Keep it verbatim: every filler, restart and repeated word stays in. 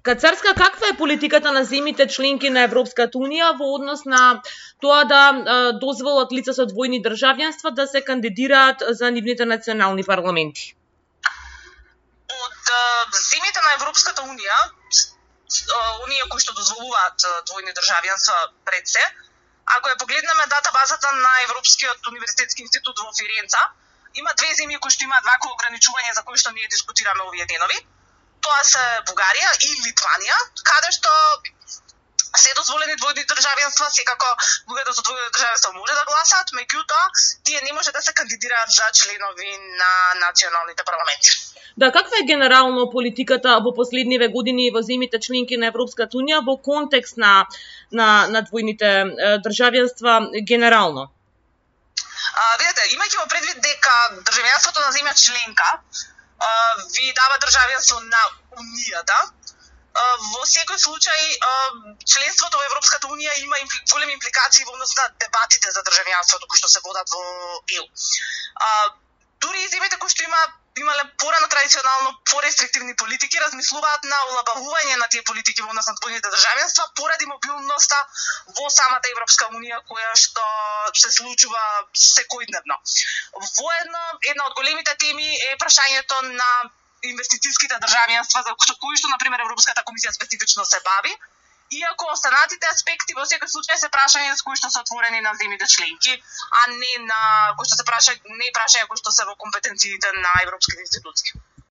Кацарска, каква е политиката на земјите членки на Европската унија во однос на тоа да дозволат лица со двојни државјанства да се кандидираат за нивните национални парламенти? Од земјите на Европската унија, оние кои што дозволуваат двојни државјанства пред се, ако ја погледнеме датабазата на Европскиот универзитетски институт во Фиренца, има две земји кои што имаат вакво ограничување за кои што ние дискутираме овие денови. Тоа се Бугарија и Литванија, каде што се дозволени двојни државјанства, секако луѓето со двојно државјанство може да гласаат, меѓутоа тие не може да се кандидираат за членови на националните парламенти. Да, каква е генерално политиката во последниве години во земјите членки на Европската унија во контекст на на, на двојните државјанства генерално? А, видете, имајќи во предвид дека државјанството на земја членка Uh, ви дава државјанство на Унијата. Uh, во секој случај, uh, членството во Европската Унија има импли... големи импликации во однос на дебатите за државјанството кои што се водат во Е У. Uh, дури и земјите кои што има имале порано традиционално порестриктивни политики размислуваат на олабавување на тие политики во однос на двојните државјанства поради мобилноста во самата Европска Унија која што се случува секојдневно. Воедно, една од големите теми е прашањето на инвестицијските државјанства за кои што, например, Европската комисија специфично се бави, иако останатите аспекти во секој случај се прашања кои што се отворени на земјите членки, а не на кои што се праша не прашања кои што се во компетенциите на европските институции.